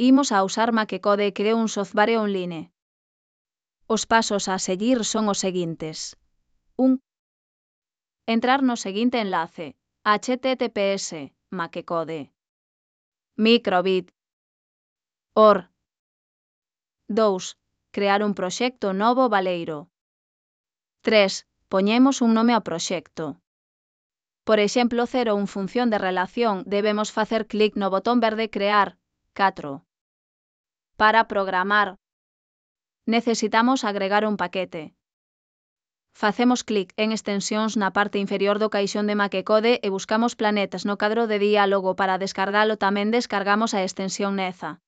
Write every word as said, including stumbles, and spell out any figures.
Imos a usar MakeCode e creo un software online. Os pasos a seguir son os seguintes. un. Entrar no seguinte enlace, https makecode microbit org. dous. Crear un proxecto novo baleiro. tres. Poñemos un nome ao proxecto. Por exemplo, cero un función de relación, debemos facer clic no botón verde Crear. catro. Para programar, necesitamos agregar un paquete. Facemos clic en extensións na parte inferior do caixón de MakeCode e buscamos planetas no cadro de diálogo para descargalo. Tamén descargamos a extensión Neza.